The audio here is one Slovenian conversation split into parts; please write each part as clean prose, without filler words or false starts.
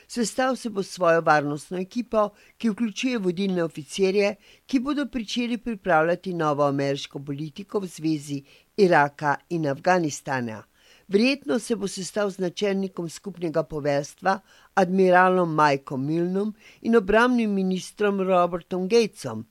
Sestal se bo s svojo varnostno ekipo, ki vključuje vodilne oficirje, ki bodo pričeli pripravljati novo ameriško politiko v zvezi Iraka in Afganistana. Verjetno se bo sestal z načelnikom skupnega poveljstva, admiralom Mikeom Milnom in obrambnim ministrom Robertom Gatesom.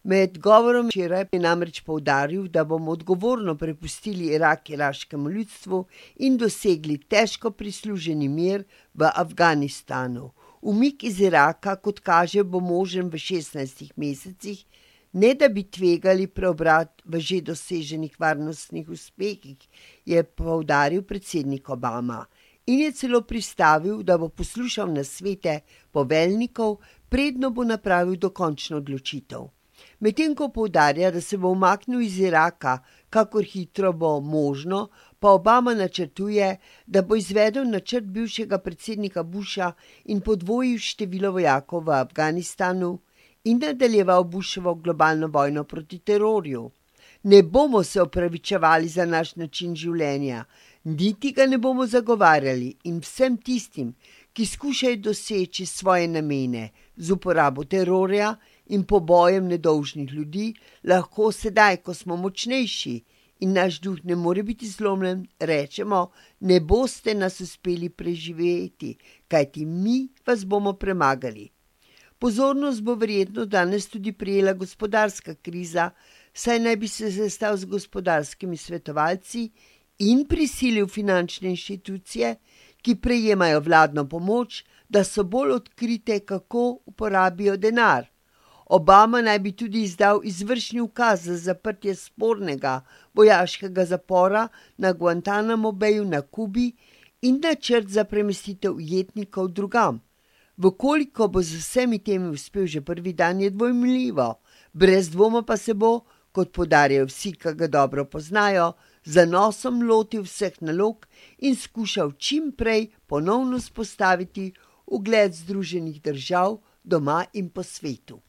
Med govorom včeraj je namreč poudaril, da bomo odgovorno prepustili Irak iraškemu ljudstvu in dosegli težko prisluženi mir v Afganistanu. Umik iz Iraka, kot kaže, bo možen v 16 mesecih, ne da bi tvegali preobrat v že doseženih varnostnih uspehih, je poudaril predsednik Obama in je celo pristavil, da bo poslušal nasvete poveljnikov, predno bo napravil dokončno odločitev. Medtem ko poudarja, da se bo umaknil iz Iraka, kakor hitro bo možno, pa Obama načrtuje, da bo izvedel načrt bivšega predsednika Busha in podvojil število vojakov v Afganistanu in nadaljeval Bushovo globalno vojno proti terorju. Ne bomo se opravičevali za naš način življenja, niti ga ne bomo zagovarjali in vsem tistim, ki skušajo doseči svoje namene z uporabo terorja in pobojem nedolžnih ljudi, lahko sedaj, ko smo močnejši in naš duh ne more biti zlomljen, rečemo, ne boste nas uspeli preživeti, kajti mi vas bomo premagali. Pozornost bo verjetno danes tudi prijela gospodarska kriza, saj naj bi se sestal z gospodarskimi svetovalci in prisilil finančne inštitucije, ki prejemajo vladno pomoč, da so bolj odkrite, kako uporabijo denar. Obama naj bi tudi izdal izvršni ukaz za zaprtje spornega vojaškega zapora na Guantanamo Bayu na Kubi in načrt za premestitev ujetnikov drugam. Vkoliko bo z vsemi temi uspel že prvi dan, je dvomljivo, brez dvoma pa se bo, kot poudarjajo vsi, ki ga dobro poznajo, z zanosom lotil vseh nalog in skušal čim prej ponovno vzpostaviti ugled Združenih držav doma in po svetu.